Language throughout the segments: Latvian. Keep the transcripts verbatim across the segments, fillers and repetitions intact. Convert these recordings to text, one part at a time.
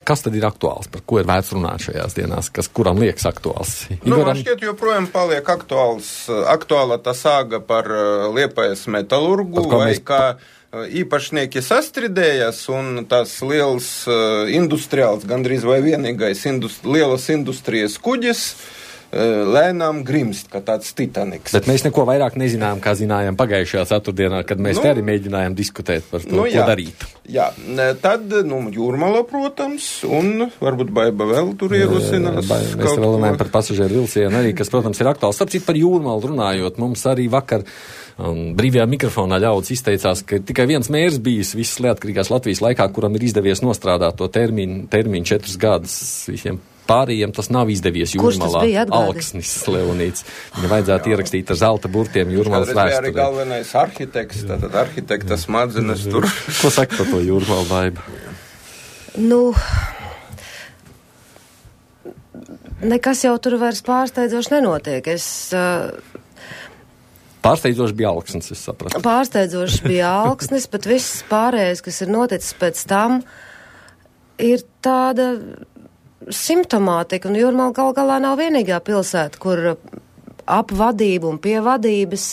kas tad ir aktuāls, par ko ir vērts runāt šajās dienās, kas kuram liekas aktuāls? Nu, Igoram... Man šķiet, joprojām paliek aktuāls, aktuāla tā sāga par Liepājas metalurgu, vai mēs... kā īpašnieki sastridējas un tās liels industriāls, gandrīz vai vienīgais indust... lielas industrijas kuģis lēnām grimst, kā tāds Titaniks. Bet mēs neko vairāk nezinām, kā zinājām pagājušajā ceturtdienā, kad mēs nu, te arī mēģinājām diskutēt par to, nu, jā, ko darīt. Jā, tad, nu, Jūrmala, protams, un varbūt Baiba vēl tur ierosinās. Ba, mēs vēl runājam par pasažieru vilcienu arī, kas, protams, ir aktuāls. Starp citu par Jūrmalu runājot, mums arī vakar um, brīvajā mikrofonā ļauds izteicās, ka tikai viens mērs bijis visas neatkarīgās Latvijas laikā, kuram ir izdevies nostrādāt to termiņu, termiņu četrus gadus visiem pārējiem tas nav izdevies Jūrmalā. Alksnis Leonīts. Viņa vajadzētu ierakstīt ar zelta burtiem Jūrmalas vēsturē. Arī galvenais arhitekts, tātad arhitekta smadzenes tur. Ko saka par to Jūrmalu, Baiba? Nu, nekas jau tur vairs pārsteidzoši nenotiek. Es... Uh, Pārsteidzoši bija Alksnis, es sapratu. Pārsteidzoši bija Alksnis, bet viss pārējais, kas ir noticis pēc tam, ir tāda... simptomātika, un Jūrmala gal galā nav vienīgā pilsēta, kur ap vadību un pie vadības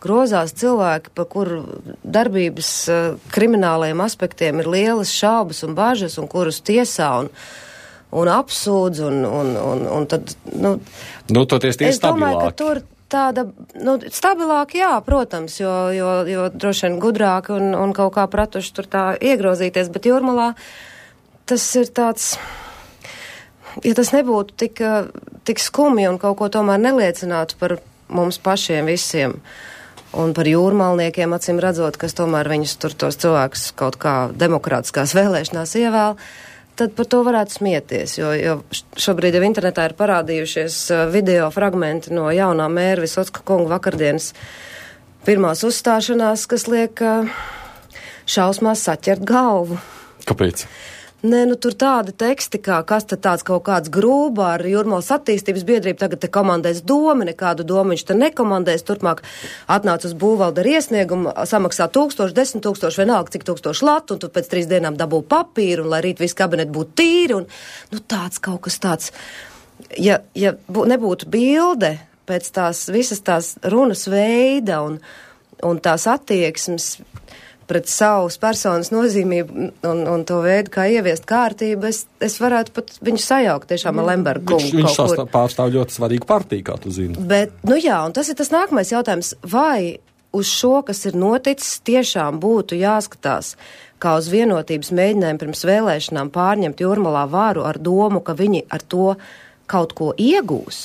grozās cilvēki, par kuru darbības uh, kriminālajiem aspektiem ir lielas šaubas un bažas, un kurus tiesā un, un apsūdz, un, un, un, un tad, nu... Nu, toties tie es domāju, ka tur tāda, nu, stabilāk, jā, protams, jo, jo, jo droši vien gudrāk un, un kaut kā pratuši tur tā iegrozīties, bet Jūrmalā tas ir tāds... Ja tas nebūtu tik, tik skumji un kaut ko tomēr neliecinātu par mums pašiem visiem un par jūrmalniekiem, acīm redzot, kas tomēr viņus tur tos cilvēkus kaut kā demokrātiskās vēlēšanās ievēl, tad par to varētu smieties, jo, jo šobrīd jau internetā ir parādījušies video fragmenti no jaunā mēra Visocka kunga vakardienas pirmās uzstāšanās, kas liek šausmās saķert galvu. Kāpēc? Nē, nu tur tādi teksti, kā kas tad tāds kaut kāds grūba ar Jūrmalas attīstības biedrību, tagad te komandēs domu, nekādu domu viņš te nekomandēs, turpmāk atnāc uz būvvaldu ar iesniegumu, samaksā tūkstoši, desmit tūkstoši, vienalga cik tūkstoši latu, un tu pēc trīs dienām dabū papīru, un lai rīt viss kabinet būtu tīri, un nu tāds kaut kas tāds, ja, ja bū, nebūtu bilde pēc tās visas tās runas veida un, un tās attieksmes, pret savas personas nozīmību un, un to veidu, kā ieviest kārtību, es, es varētu pat viņu sajaukt tiešām ar Lembergu kungu. Viņš, viņš pārstāv ļoti svarīgu partiju, kā tu zini. Bet, nu jā, un tas ir tas nākamais jautājums, vai uz šo, kas ir noticis, tiešām būtu jāskatās, kā uz vienotības mēģinājumu pirms vēlēšanām pārņemt Jūrmalā varu ar domu, ka viņi ar to kaut ko iegūs.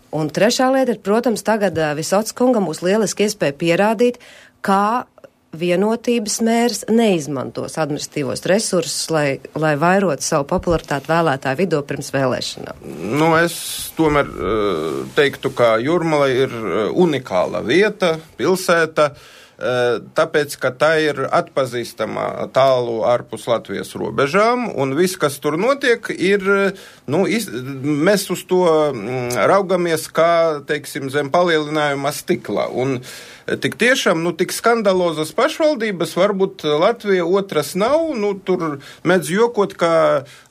Un trešā lieta ir, protams, tagad Visocka kungam būs lieliski iespēja pierādīt, kā vienotības mērs neizmantos administratīvos resursus, lai, lai vairotu savu popularitāti vēlētāju vidū pirms vēlēšanām. Nu, es tomēr teiktu, ka Jūrmala ir unikāla vieta, pilsēta, tāpēc, ka tā ir atpazīstama tālu ārpus Latvijas robežām, un viss, kas tur notiek, ir, nu, iz, mēs uz to raugamies kā, teiksim, zem palielinājuma stikla, un tik tiešām, nu, tik skandalozas pašvaldības, varbūt Latvija otras nav, nu, tur mēdz jokot, ka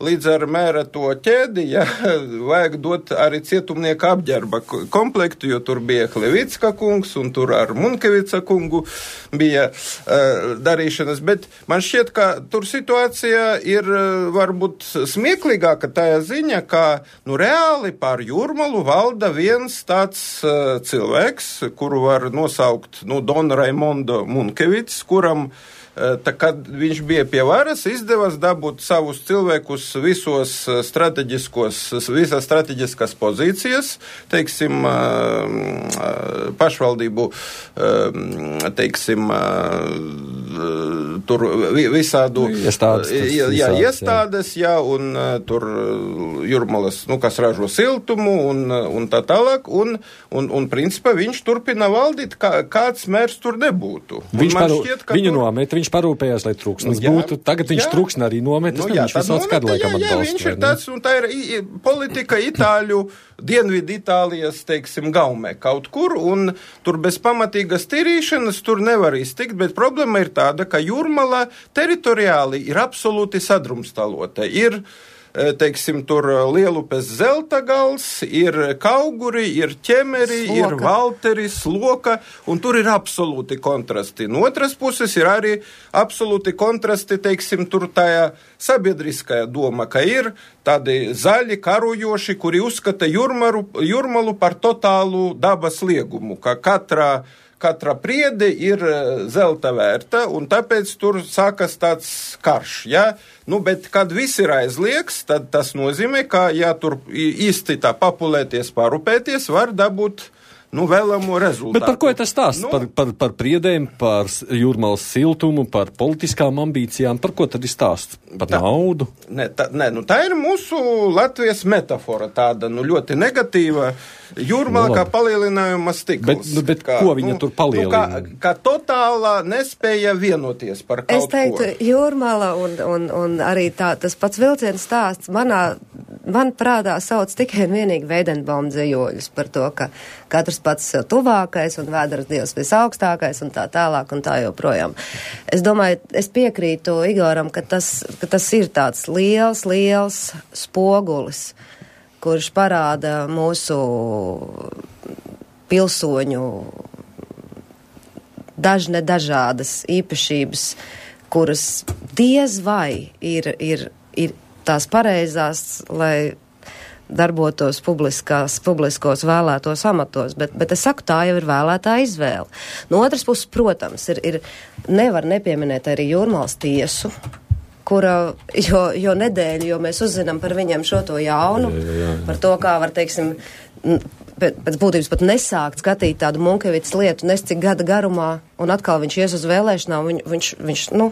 līdz ar mēra to ķēdi, ja, vajag dot arī cietumnieka apģērba komplektu, jo tur bija Hlevicka kungs, un tur ar Munkevica kungu bija uh, darīšanas, bet man šķiet, ka tur situācija ir uh, varbūt smieklīgāka tajā ziņa, ka, nu, reāli pār Jūrmalu valda viens tāds uh, cilvēks, kuru var nosaukt nu, Don Raimundo Munkevits, kuram, tā, kad viņš bija pie varas, izdevās dabūt savus cilvēkus visos strateģiskos, visās strateģiskās pozīcijas, teiksim, pašvaldību, teiksim, tur visādu iestādes, jā, jā, iestādes, jā, un tur Jūrmalas, nu, kas ražo siltumu un, un tā tālāk, un, un, un principā viņš turpina valdīt, kā, kāds mērs tur nebūtu. Viņš paru, šķiet, viņu tur... nomet, viņš parūpējās, lai trūksnes nu, būtu. Tagad viņš trūksni arī nomet, nu, tas jā, viņš visāds kādu laikam atbalstu. Jā, viņš ir tāds, un tā ir i, i, politika Itāļu, Dienvidu Itālijas, teiksim, gaumē kaut kur, un tur bez pamatīgas tīrīšanas tur nevar iztikt, bet problēma ir tā, tāda, ka Jūrmala teritoriāli ir absolūti sadrumstalota. Ir teiksim, tur Lielupes Zeltagals, ir Kauguri, ir Ķemeri, Sloka. Ir Valteri, Sloka, un tur ir absolūti kontrasti. No otras puses ir arī absolūti kontrasti, teiksim, tur tajā sabiedriskajā doma, ka ir tādi zaļi karojoši, kuri uzskata Jūrmalu, Jūrmalu par totālu dabas liegumu, ka katrā Katra priede ir zelta vērta, un tāpēc tur sākas tāds karš, ja? Nu, bet, kad viss ir aizliegts, tad tas nozīmē, ka, ja tur īsti tā papulēties, parupēties, var dabūt, nu, vēlamo rezultātu. Bet par ko ir tas stāsts? Nu, par, par, par priedēm, par Jūrmalas siltumu, par politiskām ambīcijām, par ko tad ir stāsts? Par tā, naudu? Ne, tā, ne, nu, tā ir mūsu Latvijas metafora tāda, nu, ļoti negatīva. Jūrmala no, kā palielinājuma stikls. Bet, nu, bet kā, ko viņa nu, tur palielina? Nu, kā, kā totālā nespēja vienoties par kaut ko. Es teiktu, ko. Jūrmala un, un, un arī tā, tas pats vilciens stāsts manā, man prātā sauc tikai un vienīgi Veidenbauma dzējoļus par to, ka katrs pats sev tuvākais un vēders dievs visaugstākais un tā tālāk un tā joprojām. Es domāju, es piekrītu Igoram, ka tas, ka tas ir tāds liels, liels spogulis, kurš parāda mūsu pilsoņu dažne dažādas īpašības, kuras diez vai ir, ir, ir tās pareizās, lai darbotos publiskās, publiskos vēlētos amatos, bet, bet es saku, tā jau ir vēlētā izvēle. No otras puses, protams, ir, ir nevar nepieminēt arī Jūrmalas tiesu, kura, jo, jo nedēļu, jo mēs uzzinām par viņiem šo to jaunu, jā, jā, jā. Par to, kā var, teiksim, pēc būtības pat nesākt skatīt tādu Munkevicas lietu nes cik gada garumā, un atkal viņš ies uz vēlēšanām, viņ, viņš, viņš, nu,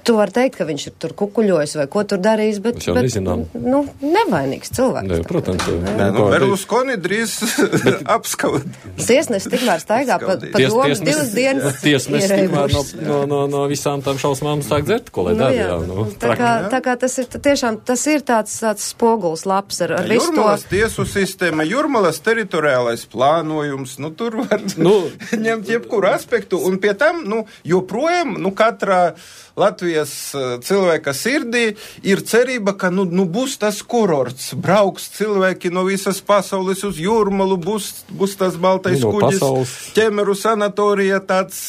tu vari teikt, ka viņš ir tur kukuļojis vai ko tur darījis, bet, bet nu, nevainīgs cilvēks. Ne, protams. Nē, nu, Berluskoni drīz apskaut. Tiesnesis tikmēr staigā pa, pa Ties, domu divas dienas. Tiesnesis tikmēr no, no, no, no visām tām šausmām sāk dzert, ko lai nu, dara. Jā, jā, nu, tā, kā, tā kā tas ir tiešām, tas ir tāds, tāds spoguls labs ar, ar visu to. Jūrmalas tiesu sistēma, Jūrmalas teritoriālais plānojums, nu tur var nu, ņemt jebkuru aspektu, un pie tam, nu, joprojām, nu, katrā Latvijas cilvēka sirdī ir cerība, ka nu, nu būs tas kurorts, brauks cilvēki no visas pasaules uz Jūrmalu, būs, būs tas baltais no kuģis, pasaules. Ķemeru sanatorija, tāds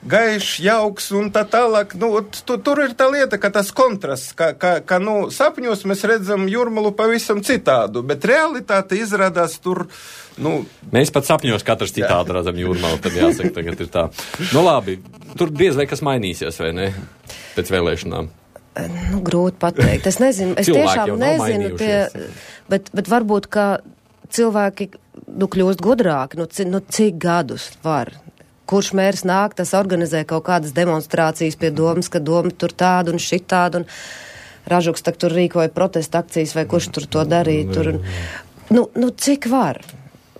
gaišs, jauks un tā tālāk. Nu, tu, tur ir tā lieta, ka tas kontrasts, ka, ka, ka nu, sapņos mēs redzam Jūrmalu pavisam citādu, bet realitāte izrādās tur. Nu, mēs pat sapņos katrs citādi redzam Jūrmalu, tad jāsaka, tagad ir tā. Nu labi, tur diez vai kas mainīsies, vai ne, pēc vēlēšanām? Nu, grūti pateikt. Es nezinu, es tiešām nezinu, pie, bet, bet varbūt, ka cilvēki, nu, kļūst gudrāki, nu, c, nu, cik gadus var. Kurš mērs nāk, tas organizē kaut kādas demonstrācijas pie domas, ka doma tur tāda un šitāda, un Ražuks tak tur rīkoja protesta akcijas, vai kurš tur to darīja, tur, un, nu, nu, cik var?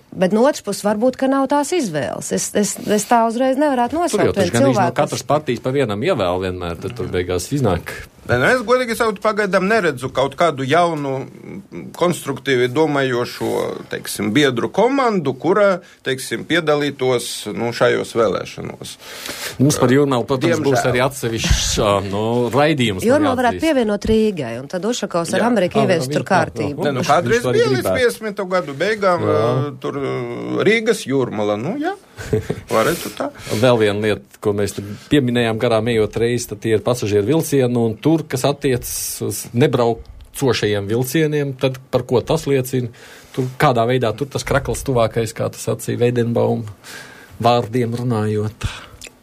Bet no otras puses varbūt, ka nav tās izvēles. Es, es, es tā uzreiz nevarētu nosaukt. Tur jau taču gan no katras partijas pa vienam ievēl vienmēr, tad tur beigās iznāk. Es godīgi sakot, pagaidām neredzu kaut kādu jaunu, konstruktīvi domājošo, teiksim, biedru komandu, kura, teiksim, piedalītos, nu, šajos vēlēšanos. Mums par Jūrmalu, protams, Diemžēl. Būs arī atsevišķs, no, raidījums. Jūrmalu varētu pievienot Rīgai, un tad Ušakovs ar Ameriku ieviest tur kārtību. Ne, nu, kādreiz bija līdz piecdesmito gadu beigām, jā. Tur Rīgas Jūrmala, nu, jā. Varētu tā. Vēl viena lieta, ko mēs pieminējām garām ejot reizi, tad tie ir pasažieru vilcieni, un tur, kas attiecas uz nebraucošajiem vilcieniem, tad par ko tas liecina? Tur kādā veidā tur tas krakls tuvākais, kā tas sacīja Veidenbauma vārdiem runājot?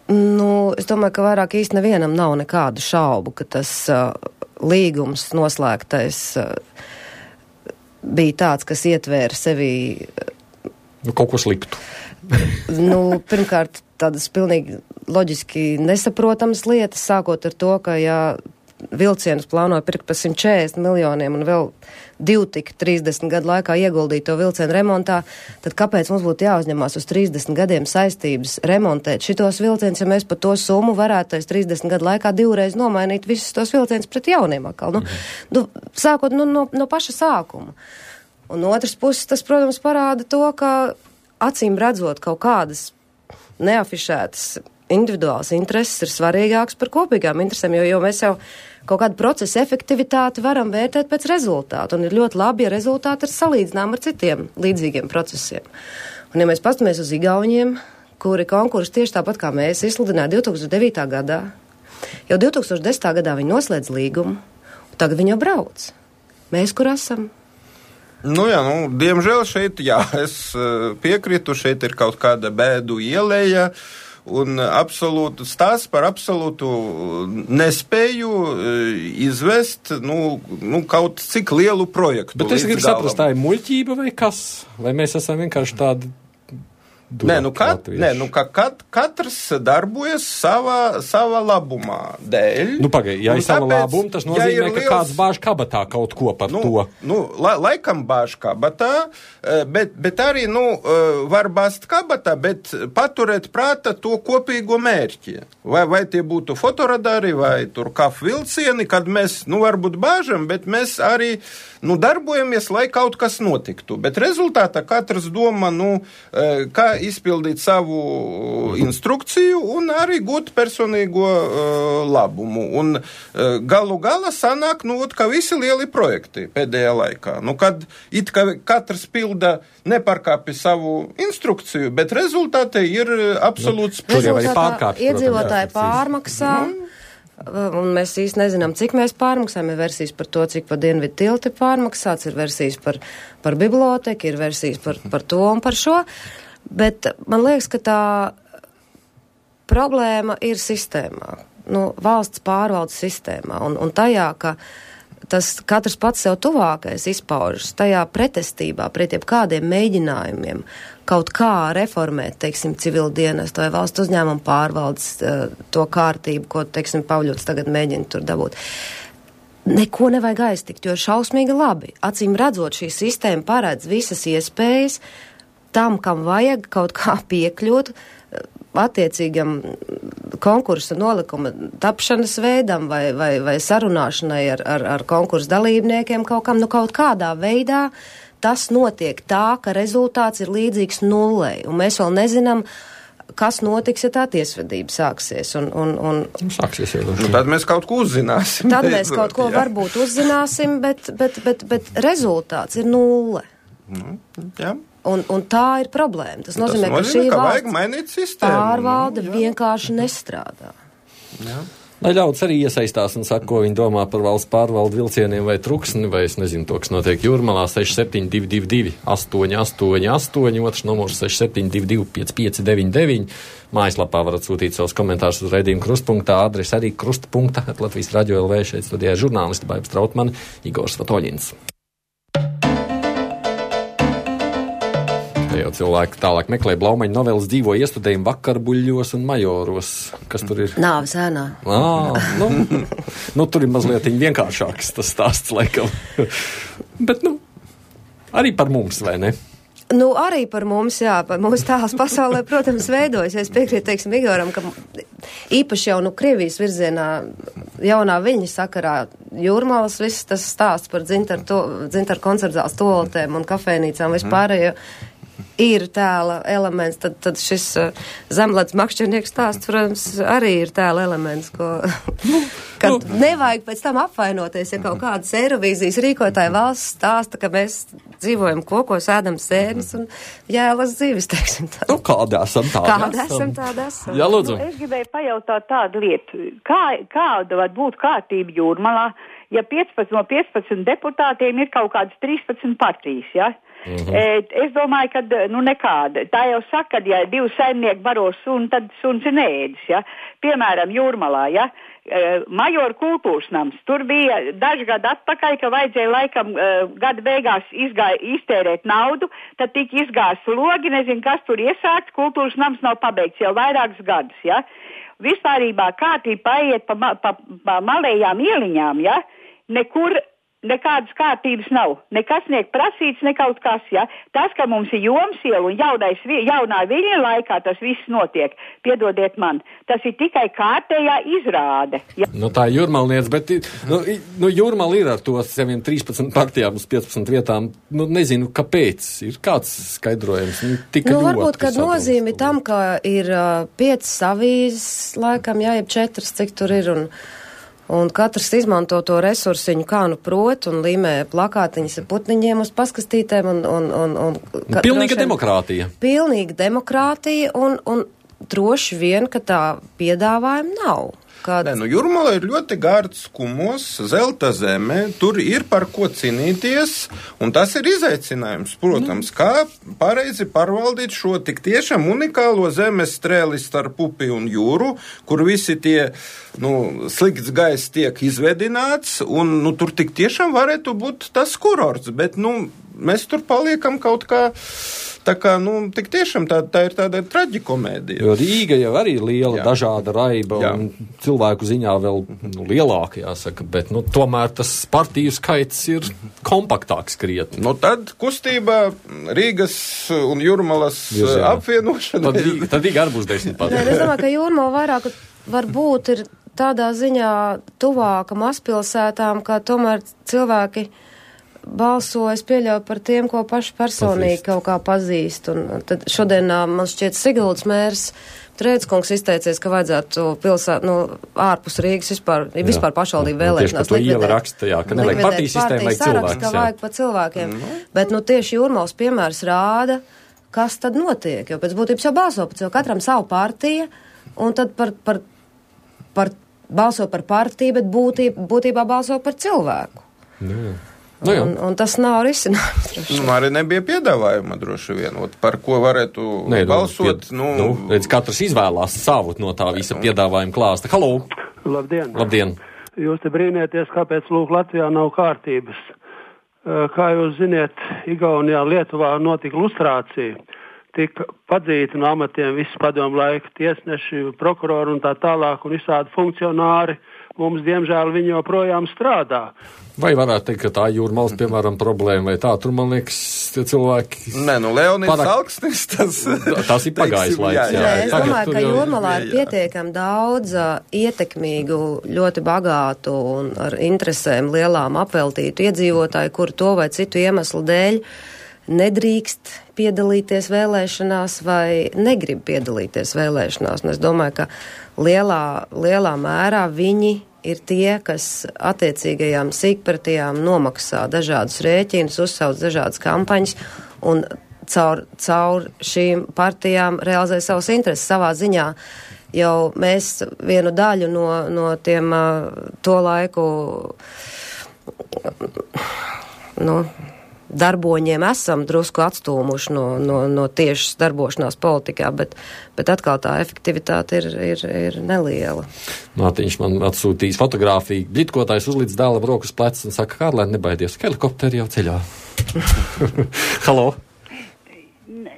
Nu, es domāju, ka vairāk īsti nevienam nav nekādu šaubu, ka tas uh, līgums noslēgtais uh, bija tāds, kas ietvēra sevī uh, nu, kaut ko sliktu. Nu, pirmkārt, tādas pilnīgi loģiski nesaprotamas lietas, sākot ar to, ka, ja vilcienus plānoja pirkt par simt četrdesmit miljoniem un vēl divi tik trīsdesmit gadu laikā ieguldīt to vilcienu remontā, tad kāpēc mums būtu jāuzņemās uz trīsdesmit gadiem saistības remontēt šitos vilcienus, ja mēs par to summu varētu tais trīsdesmit gadu laikā divreiz nomainīt visus tos vilcienus pret jauniem atkal. Nu, nu, sākot nu, no, no paša sākuma. Un no otras puses tas, protams, parāda to, ka acīm redzot kaut kādas neafišētas individuāls intereses ir svarīgāks par kopīgām interesēm, jo, jo mēs jau kaut kādu procesu efektivitāti varam vērtēt pēc rezultātu, un ir ļoti labi, ja rezultāti ir salīdzinām ar citiem līdzīgiem procesiem. Un ja mēs pastamies uz Igauniem, kuri konkursu tieši tāpat kā mēs izsludināja divi tūkstoši devītā gadā, jau divi tūkstoši desmitā gadā viņi noslēdz līgumu, un tagad viņi jau brauc. Mēs kur esam? Nu jā, nu, diemžēl šeit, jā, es piekrītu, šeit ir kaut kāda bēdu ieleja, un absolūtu stāsts par absolūtu nespēju izvest, nu, nu kaut cik lielu projektu. Bet es gribu saprast, tā ir muļķība vai kas? Vai mēs esam vienkārši tādi... Nē, nu, kat, nē, nu ka kat, katrs darbojas savā, savā labumā dēļ. Nu, pagaid, ja ir sava labuma, tas nozīmē, ja ka liels... kāds bāž kabatā kaut ko par nu, to. Nu, la, laikam bāž kabatā, bet, bet arī, nu, var bāzt kabatā, bet paturēt prāta to kopīgo mērķi. Vai, vai tie būtu fotoradari, vai tur kafu vilcieni, kad mēs, nu, varbūt bāžam, bet mēs arī, nu, darbojamies, lai kaut kas notiktu. Bet rezultātā katrs domā, nu, kā izpildīt savu instrukciju un arī gūt personīgo uh, labumu. Un uh, galu gala sanāk, nu, ka visi lieli projekti pēdējā laikā. Nu, kad it kā katrs pilda nepārkāpi savu instrukciju, bet rezultāti ir absolūts... Nu, rezultātā iedzīvotāji pārmaksā. Mm. Un mēs īsti nezinām, cik mēs pārmaksājam. Ir versijas par to, cik pa Dienvidu tilti pārmaksāts, ir versijas par, par biblioteku, ir versijas par, par to un par šo. Bet man liekas, ka tā problēma ir sistēmā, nu, valsts pārvaldes sistēmā, un, un tajā, ka tas katrs pats sev tuvākais izpaužas, tajā pretestībā pret jebkādiem mēģinājumiem kaut kā reformēt, teiksim, civil dienestu vai valsts uzņēmumu pārvaldes to kārtību, ko, teiksim, Pavļots tagad mēģina tur dabūt. Neko nevajag aiztikt, jo šausmīgi labi. Acīm redzot, šī sistēma paredz visas iespējas tam, kam vajag kaut kā piekļūt attiecīgam konkursa nolikuma tapšanas veidam vai, vai, vai sarunāšanai ar, ar, ar konkursa dalībniekiem kaut kam, nu kaut kādā veidā tas notiek tā, ka rezultāts ir līdzīgs nullei, un mēs vēl nezinām, kas notiks, ja tā tiesvedība sāksies. Un, un, un, sāksies jau. Nu, tad mēs kaut ko uzzināsim. Tad mēs kaut ko jā. varbūt uzzināsim, bet, bet, bet, bet rezultāts ir nulle. Nu, jā. Un, un tā ir problēma. Tas nozīmē, Tas nozīmē ka šī šī valsts pārvalde nu, vienkārši nestrādā. Jā. Lai ļaudis arī iesaistās un saka, ko viņi domā par valsts pārvaldu vilcieniem vai truksni, vai es nezinu to, kas notiek Jūrmalā, seši septiņi divi divi divi astoņi astoņi astoņi, otrs numurs seši septiņi divi divi pieci pieci deviņi deviņi. Mājaslapā varat sūtīt savus komentārus uz raidījumu krustpunktā, adrese arī krustpunkta, Latvijas radio L V, šeit studijā žurnālisti Baiba Strautmane, Igors Svatoļins. Jau cilvēki tālāk meklē Blaumaņa novelas dzīvo iestudējumu Vakarbuļļos un Majoros. Kas tur ir? Nāves ēnā. Ā, nu, nu, tur ir mazliet vienkāršāks tas stāsts, laikam. Bet, nu, arī par mums, vai ne? Nu, arī par mums, jā, par mūsu tēls pasaulē, protams, veidojas. Es piekrītu, teiksim, Igoram, ka īpaši jau, nu, Krievijas virzienā jaunā viļņa sakarā Jūrmalas viss tas stāsts par dzintaru, to, dzintaru koncertzāles toaletēm un kafēnīcām vispārējo. Ir tēla elements, tad, tad šis uh, zemledus makšķernieks stāsts, protams, arī ir tēla elements, ko, kad nevajag pēc tam apvainoties, ja kaut kādas Eirovīzijas rīkotāja valsts stāsta, ka mēs dzīvojam kokos, ēdam sērnes un jēlas dzīves, teiksim tā. Nu, kādā esam tāda Kāda esam tāda esam. Jā, lūdzu. Nu, es gribēju pajautāt tādu lietu. Kā, kāda var būt kārtība Jūrmalā, ja piecpadsmit no piecpadsmit deputātiem ir kaut kādas trīspadsmit partijas, ja? Mm-hmm. Es domāju, ka nu nekāda. Tā jau saka, ja divi saimnieki baro suni, tad suns ir neēdis, ja. Piemēram, Jūrmalā, ja. Majoru kultūras nams. Tur bija daži gadi atpakaļ, ka vajadzēja laikam gada beigās izgāja, iztērēt naudu, tad tika izgāsts logi, nezinu, kas tur iesākts, kultūras nams nav pabeigts jau vairākus gadus, ja. Vispārībā kārtība paiet pa, pa, pa malējām ieliņām, ja. Nekur nekādas kārtības nav. Nekas niek prasīts, ne kaut kas, ja. Tas, ka mums ir Jomsiela un jaunais, jaunā Viļņa laikā tas viss notiek, piedodiet man, tas ir tikai kārtējā izrāde. Ja. Nu, tā ir Jūrmalniece, bet nu, nu, Jūrmala ir ar to saviem trīspadsmit partijām uz piecpadsmit vietām. Nu, nezinu, kāpēc. Ir kāds skaidrojums? Nu, nu varbūt, kad nozīmi tam, ka ir uh, piecas avīzes, laikam, jā, jeb četras, cik tur ir, un Un katrs izmanto to resursiņu, kā nu prot, un līmē plakātiņas ar putniņiem uz paskastītēm. Un, un, un, un, ka, pilnīga droši, demokrātija. Pilnīga demokrātija, un, un droši vien, ka tā piedāvājuma nav. Kād... Nē, nu Jūrmala ir ļoti gārds kumos, zelta zeme, tur ir par ko cīnīties, un tas ir izaicinājums, protams, mm. kā pareizi pārvaldīt šo tik tiešām unikālo zemes strēli starp upi un jūru, kur visi tie, nu, slikts gaiss tiek izvedināts, un, nu, tur tik tiešām varētu būt tas kurorts, bet, nu, mēs tur paliekam kaut kā. Tā kā, nu, tik tiešām tā, tā ir tāda traģikomēdija. Jo Rīga jau arī ir liela, jā. dažāda raiba, jā. Un cilvēku ziņā vēl nu, lielāka, jāsaka, bet, nu, tomēr tas partiju skaits ir kompaktāks krietni. Nu, tad kustība Rīgas un Jūrmalas Jūs, apvienošana. Tad, Rīga, tad Rīga arī būs desmit pat. Nē, es domāju, ka Jūrmala vairāk varbūt ir tādā ziņā tuvāka mazpilsētām, kā tomēr cilvēki balso, es pieļauju par tiem, ko paši personīgi kaut kā pazīst. Un tad šodien man šķiet Siguldas mērs Trēdskungs izteicies, ka vajadzētu pilsēt, nu, ārpus Rīgas vispār, vispār pašvaldību vēlēšanās. Tieši par to iela raksta, jā, ka nevajag partiju sistēmu, vajag cilvēkus. Ka vajag pa cilvēkiem. Mm. Bet, nu, tieši Jūrmalas piemērs rāda, kas tad notiek, jo pēc būtības jau balso par cilvēku, katram savu partiju, un tad par, par, par balso par partiju, bet būtībā, būtībā balso par cilvēku. Jā. Nu, un, un tas nav risinājums. Nu, arī nebija piedāvājuma droši vien, par ko varētu Nē, balsot. Pied, nu, nu, redz, katrs izvēlās savu no tā visa piedāvājuma klāsta. Halo! Labdien! Labdien! Jūs te brīnieties, kāpēc lūk Latvijā nav kārtības. Kā jūs ziniet, Igaunijā, Lietuvā notika lustrācija. Tika padzīti no amatiem visi padomu laika tiesneši, prokurori un tā tālāk un visādi funkcionāri. Mums, diemžēl, viņi joprojām strādā. Vai varētu teikt, ka tā Jūrmalas, piemēram, problēma vai tā? Tur, man liekas, tie cilvēki... Nē, nu, Leonids parak... Alksnis, tas... tas ir pagājis laiks, jā. jā, jā. Nē, es domāju, ka Jūrmalā ir pietiekami daudz uh, ietekmīgu, ļoti bagātu un ar interesēm lielām apveltītu iedzīvotāju, kuri to vai citu iemeslu dēļ nedrīkst piedalīties vēlēšanās vai negrib piedalīties vēlēšanās. Un es domāju, ka lielā, lielā mērā viņi ir tie, kas attiecīgajām sīkpartijām nomaksā dažādus rēķinus, uzsauc dažādas kampaņas un caur, caur šīm partijām realizē savus intereses savā ziņā. Jau mēs vienu daļu no, no tiem uh, to laiku nu, darboņiem esam drusku atstūmuši no, no, no tiešas darbošanās politikā, bet, bet atkal tā efektivitāte ir, ir, ir neliela. Mārtiņš man atsūtīs fotogrāfiju. Bļitkotājs uzlīdz dēlam rokas plecs un saka, Kārlēn, nebaidies, helikopteri jau ceļā. Halo?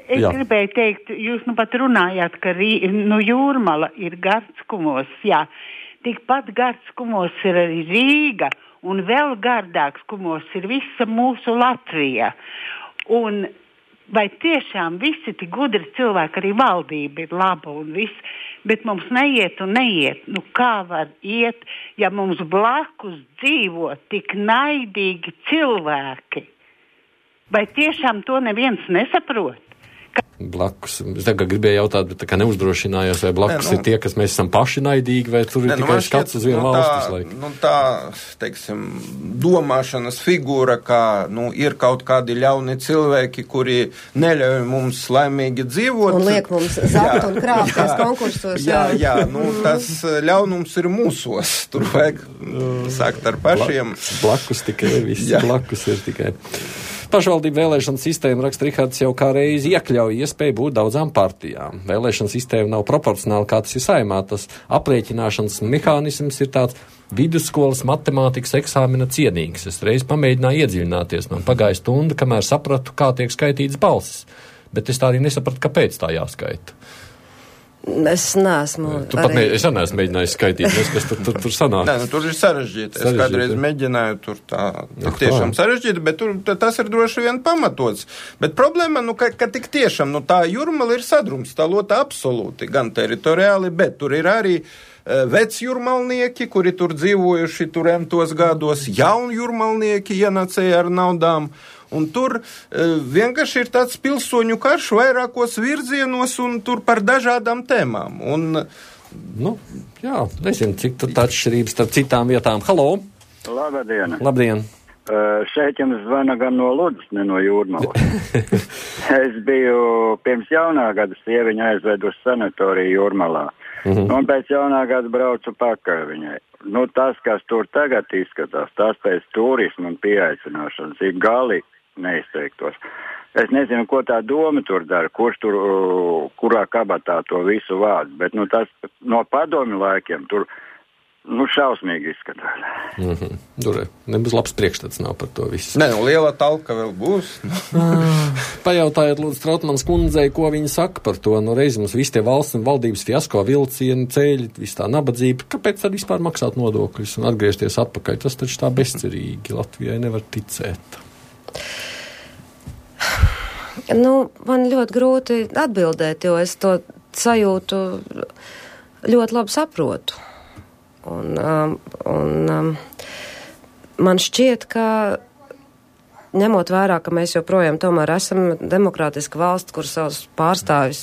Es jā. gribēju teikt, jūs nu pat runājāt, ka rī, nu, Jūrmala ir Gardskumos, jā. Tikpat Gardskumos ir arī Rīga. Un vēl gardāks kumos ir visa mūsu Latvija. Un vai tiešām visi tik gudri cilvēki, arī valdība ir laba un viss, bet mums neiet un neiet. Nu kā var iet, ja mums blakus dzīvo tik naidīgi cilvēki? Vai tiešām to neviens nesaprot? Blakus. Es tagad gribēju jautāt, bet tā kā neuzdrošinājos, vai blakus ne, nu, ir tie, kas mēs esam paši naidīgi, vai tur ir ne, tikai nu, skats uz vienu nu, valstis laiku? Nu tā, teiksim, domāšanas figūra, kā, nu, ir kaut kādi ļauni cilvēki, kuri neļauj mums laimīgi dzīvot. Un liek mums zakt un krāpties konkursos. Jā, jā, nu, tas ļaunums ir mūsos. Tur vajag sākt ar pašiem. Blakus, blakus tikai, viss blakus ir tikai. Pašvaldību vēlēšana sistēma, raksta Rihards, jau kā reizi iekļauj iespēju būt daudzām partijām. Vēlēšana sistēma nav proporcionāla, kā tas ir Saeimā. Tas aprēķināšanas mehānisms ir tāds vidusskolas matemātikas eksāmena cienīgs. Es reiz pamēģināju iedziļināties. Man pagāja stunda, kamēr sapratu, kā tiek skaitīts balsis. Bet es tā arī nesapratu, kāpēc tā jāskaita. Es neesmu. Tu pat ne, es neesmu mēģinājis skaitīt, nes, kas tur, tur, tur sanāk. Nē, nu, tur ir sarežģīti. Es kādreiz mēģināju, tur tā, tā tiešām sarežģīti, bet tur, tas ir droši vien pamatots. Bet problēma, nu, ka, ka tik tiešām, nu, tā Jūrmala ir sadrumstalota absolūti, gan teritoriāli, bet tur ir arī uh, veci jūrmalnieki, kuri tur dzīvojuši tur entos gados, jauni jūrmalnieki ienācēja ar naudām. Un tur uh, vienkārši ir tāds pilsoņu karš vairākos virzienos un tur par dažādām tēmām. Un, nu, jā, nezinu, cik tad atšķirības starp citām vietām. Halo! Labdien! Labdien! Uh, šeit jums zvana gan no Ludzas, ne no Jūrmalas. Es biju pirms jaunā gada sieviņa aizved uz sanatoriju Jūrmalā. Mm-hmm. Un pēc jaunā gada braucu pakaļ viņai. Nu, tas, kas tur tagad izskatās, tas pēc turismu un pieaicināšanas ir galīgi neizteiktos. Es nezinu, ko tā doma tur dara, kurš tur, kurā kabatā to visu vārds, bet, nu, tas no padomju laikiem tur, nu, šausmīgi izskatās. Mm-hmm. Tur nebūs labs priekšstats nav par to visu. Nē, nu, liela talka vēl būs. Pajautājiet, lūdzu, Trautmanas kundzei, ko viņa saka par to. Nu, reiz mums visi tie valsts un valdības fiasko vilcieni, ceļi, viss tā nabadzība. Kāpēc tad vispār maksāt nodokļus un atgriezties atpakaļ? Tas taču tā bezcerīgi. Latvijai nevar ticēt. Nu, man ļoti grūti atbildēt, jo es to sajūtu ļoti labi saprotu. Un, um, un um, man šķiet, ka ņemot vērā, ka mēs joprojām tomēr esam demokrātiska valsts, kur savus pārstāvis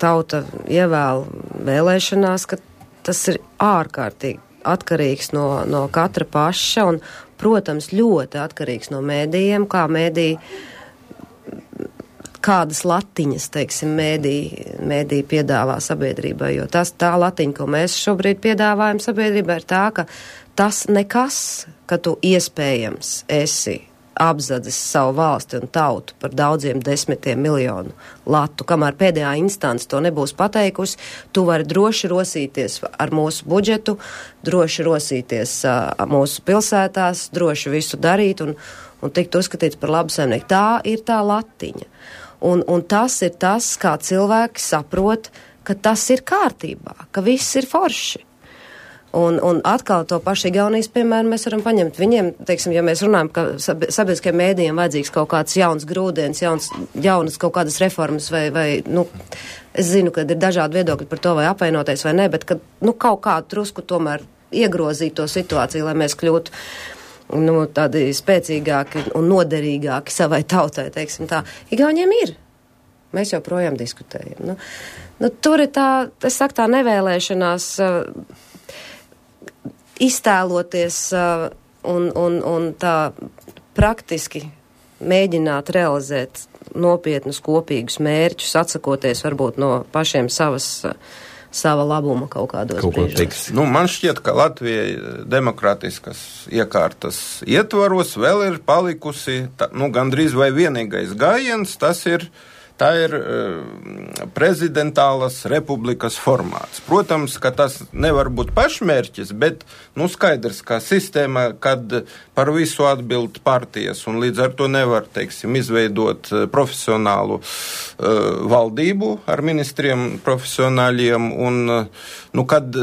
tauta ievēl vēlēšanās, ka tas ir ārkārtīgi atkarīgs no, no katra paša un, protams, ļoti atkarīgs no mēdījiem, kā mēdīji, kādas latiņas, teiksim, mēdīji, mēdīji piedāvā sabiedrībai, jo tas tā latiņa, ko mēs šobrīd piedāvājam sabiedrībai, ir tā, ka tas nekas, ka tu iespējams esi apzadzis savu valsti un tautu par daudziem desmitiem miljonu latu, kamēr pēdējā instance to nebūs pateikusi, tu vari droši rosīties ar mūsu budžetu, droši rosīties uh, mūsu pilsētās, droši visu darīt un, un tikt uzskatīts par labu saimnieku. Tā ir tā latiņa. Un, un tas ir tas, kā cilvēki saprot, ka tas ir kārtībā, ka viss ir forši. Un, un atkal to pašu Igaunijas, piemēram, mēs varam paņemt viņiem, teiksim, ja mēs runājam, ka sabiedriskajiem mēdījiem vajadzīgs kaut kāds jauns grūdienis, jauns, jaunas kaut kādas reformas vai, vai, nu, es zinu, ka ir dažādi viedokļi par to, vai apvainoties vai ne, bet, ka, nu, kaut kā drusku tomēr iegrozīt to situāciju, lai mēs kļūtu, nu, tādi spēcīgāki un noderīgāki savai tautai, teiksim tā. Igauniem ir. Mēs joprojām diskutējam. Nu, nu, tur ir tā, es saku, tā nevēlēšanās uh, iztēloties uh, un, un, un tā praktiski mēģināt realizēt nopietnus kopīgus mērķus, atsakoties varbūt no pašiem savas uh, sava labuma kaut kādos kaut brīžos. Nu, man šķiet, ka Latvijai demokrātiskas iekārtas ietvaros vēl ir palikusi, tā, nu, gandrīz vai vienīgais gājiens, tas ir, tā ir uh, prezidentālas republikas formāts. Protams, ka tas nevar būt pašmērķis, bet, nu, skaidrs, ka sistēma, kad par visu atbild partijas un līdz ar to nevar, teiksim, izveidot profesionālu uh, valdību ar ministriem profesionāļiem un, uh, nu, kad,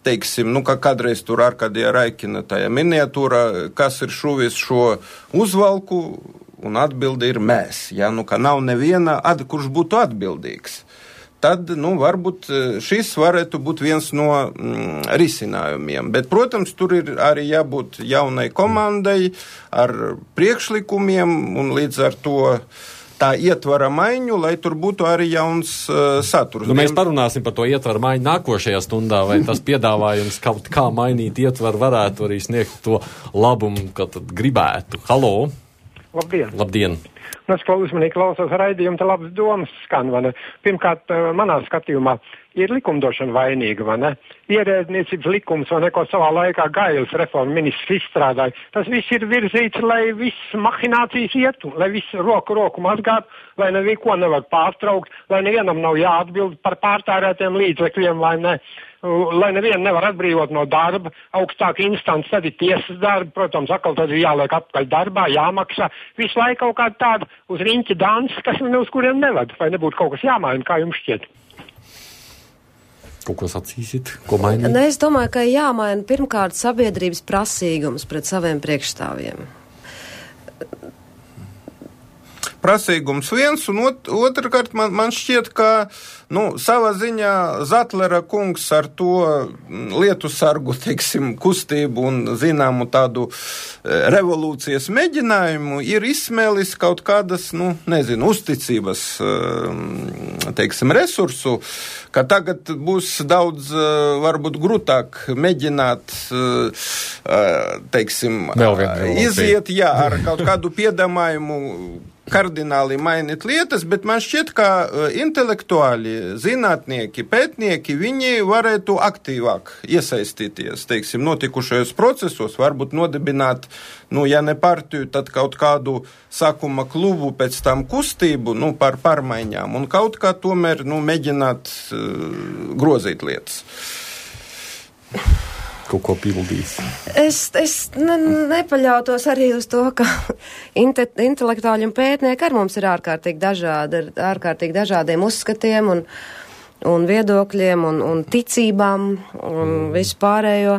teiksim, nu, kā kādreiz tur Arkadija Raikina tajā miniatūra, kas ir šuvis šo uzvalku, un atbildi ir mēs, ja, nu, ka nav neviena, ad, kurš būtu atbildīgs. Tad, nu, varbūt šis varētu būt viens no mm, risinājumiem. Bet, protams, tur ir arī jābūt jaunai komandai ar priekšlikumiem un līdz ar to tā ietvara maiņu, lai tur būtu arī jauns uh, saturs. Nu, mēs parunāsim par to ietvaru maiņu nākošajā stundā, vai tas piedāvājums kaut kā mainīt ietvaru varētu arī sniegt to labumu, ka tad gribētu. Halo! Labdien! Labdien! Nu, es uzmanīgi klausos raidījumu, te labas domas skan, vai ne? Pirmkārt, manā skatījumā, ir likumdošana vainīga, vai ne? Ierēdniecības likums, vai ne, ko savā laikā Gailes reforma ministrs izstrādāja. Tas viss ir virzīts, lai viss mahinācijas ietu, lai viss roku roku mazgātu, lai neko nevar pārtraukt, lai nevienam nav jāatbild par pārtērētiem līdzekļiem, vai ne? Lai nevienu nevar atbrīvot no darba, augstāka instance, tad ir tiesas darba, protams, atkal tad ir jāliek atpakaļ darbā, jāmaksā. Visu laiku kaut kāda tāda uz riņķa dansa, kas ne uz kuriem nevada, vai nebūtu kaut kas jāmaina, kā jums šķiet? Kaut ko sacīsit, ko mainīt? Ne, es domāju, ka jāmaina pirmkārt sabiedrības prasīgums pret saviem priekšstāvjiem. Prasīgums viens, un ot, otrkārt man, man šķiet, ka nu, savā ziņā Zatlera kungs ar to lietu sargu, teiksim, kustību un zināmu tādu revolūcijas mēģinājumu ir izsmēlis kaut kādas, nu, nezinu, uzticības, teiksim, resursu, ka tagad būs daudz, varbūt, grūtāk mēģināt, teiksim, iziet, jā, ar kaut kādu piedāvājumu kardināli mainīt lietas, bet man šķiet, ka intelektuāli, zinātnieki, pētnieki, viņi varētu aktīvāk iesaistīties, teiksim, notikušajos procesos, varbūt nodibināt, nu, ja ne partiju, tad kaut kādu sākuma klubu, pēc tam kustību, nu, par pārmaiņām, un kaut kā tomēr, nu, mēģināt uh, grozīt lietas. Kaut ko pildīs. Es, es ne, nepaļautos arī uz to, ka inte, intelektuāļi un pētnieki ar mums ir ārkārtīgi dažādi, ar ārkārtīgi dažādiem uzskatiem un, un viedokļiem un, un ticībām un mm. visu pārējo.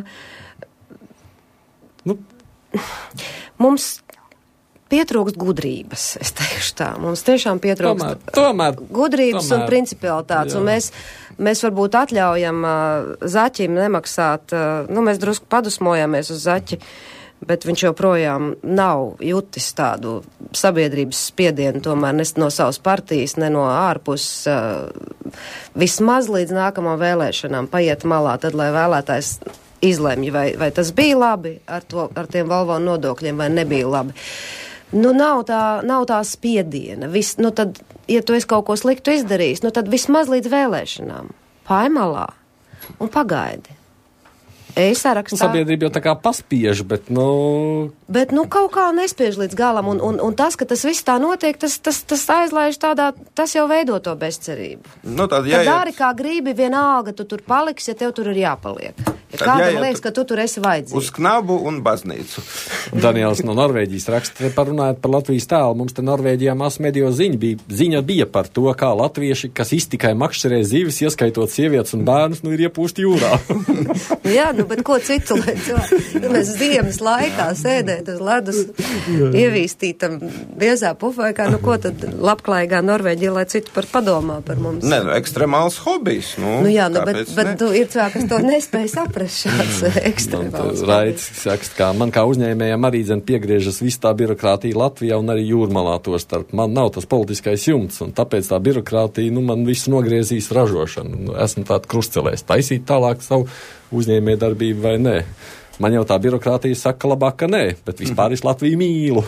Nu. Mums pietrūkst gudrības, es teikšu tā. Mums tiešām pietrūkst tomēr, tomēr, gudrības tomēr, un principialitātes. Un mēs, mēs varbūt atļaujam uh, Zaķim nemaksāt, uh, nu mēs drusku padusmojamies uz Zaķi, bet viņš joprojām nav jutis tādu sabiedrības spiedienu, tomēr ne no savas partijas, ne no ārpus, uh, vismaz līdz nākamām vēlēšanām paiet malā, tad, lai vēlētājs izlemj, vai, vai tas bija labi ar, to, ar tiem valvonu nodokļiem, vai nebija labi. Nu, nav tā, nav tā spiediena. Vis, nu, tad, ja tu esi kaut ko sliktu izdarījis, nu, tad vismaz līdz vēlēšanām. Paimalā un pagaidi. E-sarakstā. Sabiedrība jau tā kā paspiež, bet, nu... Bet, nu, kaut kā nespiež līdz galam, un, un, un tas, ka tas viss tā notiek, tas, tas, tas aizlaiž tādā, tas jau veido to bezcerību. Nu, tad, jā, tad dari, kā gribi, vienalga, tu tur paliksi, ja tev tur ir jāpaliek. Ja kādam liekas, ka tu tur esi vajadzīgs. Uz knabu un baznīcu. Daniels no Norvēģijas raksta, parunājot par Latvijas tēlu. Mums te Norvēģijā masmediju ziņa bija, ziņa bija par to, kā latvieši, kas iztikai makšķerē zivis, ieskaitot sievietes un bērnus, nu ir iepūsti jūrā. Jā, nu, bet ko citu, lai cilvēki, mēs ziemas laikā sēdēt uz ledus, ievīstītam biezā pufaikā, nu ko tad labklājīgā Norvēģija, lai citu par padomā par mums. Ne, nu, ekstremāls hobijs, nu. Nu jā, nu, bet, bet tu ir cilvēki, kas to nespēj saprast. Šāds ekstremāls. Raits sakst, kā man kā uzņēmējam arī dzen piegriežas viss tā birokrātija Latvijā un arī Jūrmalā to starp. Man nav tas politiskais jumts, un tāpēc tā birokrātija, nu, man visu nogriezīs ražošanu. Esmu tāda krustcelēs. Taisīt tālāk savu uzņēmē darbību vai nē. Man jau tā birokrātija saka labāk, ka nē, bet vispār es Latviju mīlu.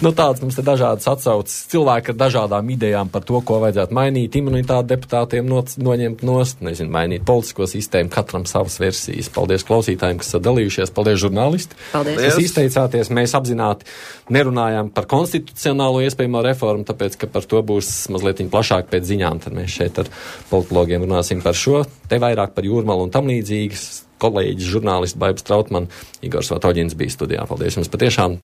Nu, tāds mums ir dažādas atsauces. Cilvēki ar dažādām idejām par to, ko vajadzētu mainīt, imunitāti deputātiem no, noņemt nost, nezinu, mainīt politisko sistēmu, katram savas versijas. Paldies klausītājiem, kas sadalījušies, paldies žurnālisti. Paldies. Kas izteicāties, mēs apzināti nerunājām par konstitucionālo iespējamo reformu, tāpēc, ka par to būs mazliet plašāk pēc ziņām, tad mēs šeit ar politologiem runāsim par šo, te vairāk par Jūrmalu un tam līdzīgas. Kolēģis, žurnālists Baibs Trautman, Igors Vatoģins bija studijā. Paldies jums patiešām!